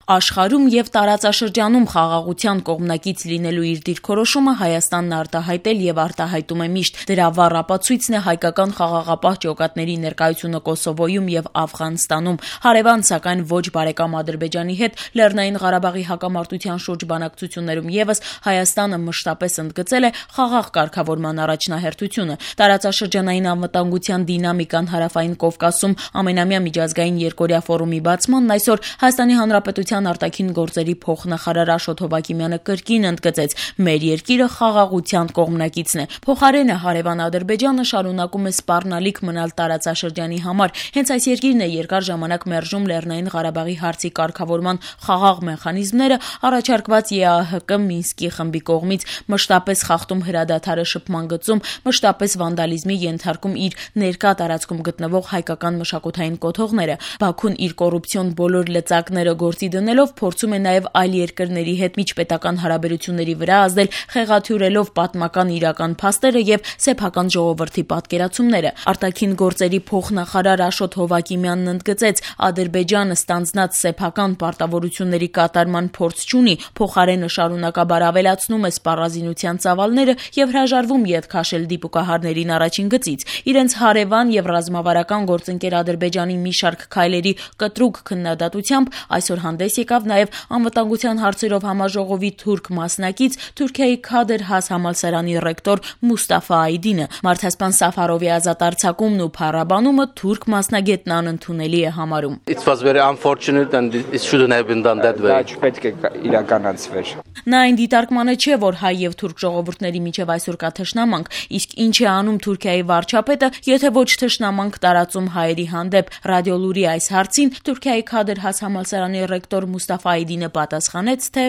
Աշխարհում եւ տարածաշրջանում խաղաղության կողմնակից լինելու իր դիրքորոշումը Հայաստանն արտահայտել եւ արտահայտում է միշտ։ Դրա վառ ապացույցն է հայկական խաղաղապահ ջոկատների ներկայությունը Կոսովոյում եւ Աֆղանստանում։ Հարևան, սակայն ոչ բարեկամ Ադրբեջանի հետ Լեռնային Ղարաբաղի հակամարտության շուրջ բանակցություններում եւս Հայաստանը մշտապես ընդգծել է խաղաղ կարգավորման առաջնահերթությունը։ Տարածաշրջանային անվտանգության դինամիկան Հարավային Կովկասում ամենամյա միջազգային երկօրյա ֆորումի բացմանն այսօր Հայաստանի Հանրապետության արտաքին գործերի փոխնախարար Աշոտ Հովակիմյանը կրկին ընդգծեց. մեր երկիրը խաղաղության կողմնակիցն է։ Փոխարենը հարևան Ադրբեջանը շարունակում է սպառնալիք մնալ տարածաշրջանի համար։ Հենց այս երկիրն է երկար ժամանակ մերժում Լեռնային Ղարաբաղի հարցի կարգավորման խաղաղ մեխանիզմները առաջարկված ԵԱՀԿ Մինսկի խմբի կողմից, մշտապես խախտում հրադադարը շփման գծում, մշտապես վանդալիզմի ենթարկում իր ներկա տարածքում գտնվող հայկական մշակութային կոթողները։ Բաքուն իր կոռուպցիոն բոլոր լծակները գործի դնելով փորձում է նաև այլ երկրների հետ միջպետական հարաբերությունների վրա ազդել, խեղաթյուրելով պատմական իրական փաստերը եւ սեփական ժողովրդի պատկերացումները։ Արտաքին գործերի փոխնախարար Աշոտ Հովակիմյանն ընդգծեց. Ադրբեջանը ստանձնած սեփական պարտավորությունների կատարման փորձ չունի, փոխարենը շարունակաբար ավելացնում է սպառազինության ծավալները եւ հրաժարվում ետք քաշել դիպուկահարներին առաջին գծից։ Իրենց հարևան եւ ռազմավարական գործընկեր Ադրբեջանի մի շարք քայլերի կտրուկ քննադատությամբ այսօր հանդես եկավ նաև անվտանգության հարցերով համաժողովի թուրք մասնակից Թուրքիայի Քադր Has համալսարանի ռեկտոր Մուստաֆա Այդինը։ Մարդասպան Սաֆարովի ազատ արձակումն ու փառաբանումը թուրք մասնագետն անընդունելի է համարում։ It was very unfortunate and it shouldn't have been done that way. Դա չպետք է իրականացվեր։ Նա այն դիտարկմանը չէ, որ հայ եւ թուրք ժողովուրդների միջև այսօր կա թշնամանք, իսկ ինչ է անում Թուրքիայի վարչապետը, եթե ոչ թշնամանք տարածում հայերի հանդեպ։ Ռադիոլուրի այս հարցին Թուրքիայի Քադր Has համալսարանի ռեկտոր Մուստաֆա Այդինը պատասխանեց, թե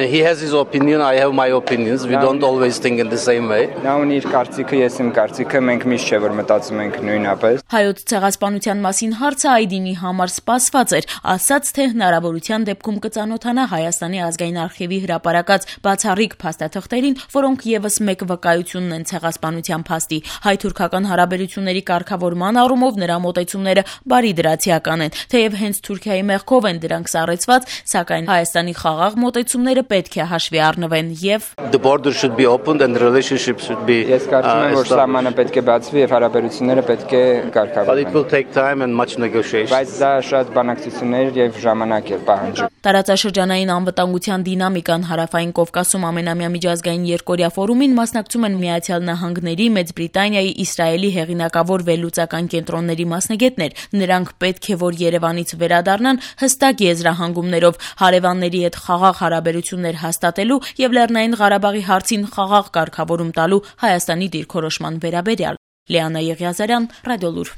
He has his opinion, I have my opinions. We don't always think in the same way. Նա ունի իր կարծիքը, ես իմ կարծիքը, մենք միշտ չէ որ մտածում ենք նույնապես։ Հայոց ցեղասպանության մասին հարցը Այդինի համար սպասված էր, ասաց, թե հնարավորության դեպքում կծանոթանա Հայաստանի ազգային արխիվի հրապարակած բացառիկ փաստաթղթերին, որոնք եւս մեկ վկայությունն են ցեղասպանության փաստի։ Հայ-թուրքական հարաբերությունների կարգավորման առումով նրա մոտեցումները բարի դրացիական են, թեև հենց Թուրքիայի մեղքով են դրանք սառեցված, սակայն Հայաստանի խաղաղ մոտեցումները պետք է հաշվի առնվեն եւ The border should be opened and the relationship should be Ես կարծում եմ, որ սահմանը պետք է բացվի եւ հարաբերությունները պետք է կարգավորվեն։ But it will take time and much negotiation. Բայց դա շատ բանակցություններ եւ ժամանակ է պահանջում։ Տարածաշրջանային անվտանգության դինամիկան Հարավային Կովկասում ամենամյա միջազգային երկօրյա ֆորումին մասնակցում են Միացյալ Նահանգների, Մեծ Բրիտանիայի, Իսրայելի հեղինակավոր վերլուծական կենտրոնների մասնագետներ։ Նրանք պետք է որ Երևանից վերադառնան հստակ եզրահանգումներով հարևանների հետ խաղաղ հարաբերություններ հաստատելու եւ Լեռնային Ղարաբաղի հարցին խաղաղ կարգավորում տալու Հայաստանի դիրքորոշման վերաբերյալ։ Լիանա Եղիազարյան, Ռադիոլուր։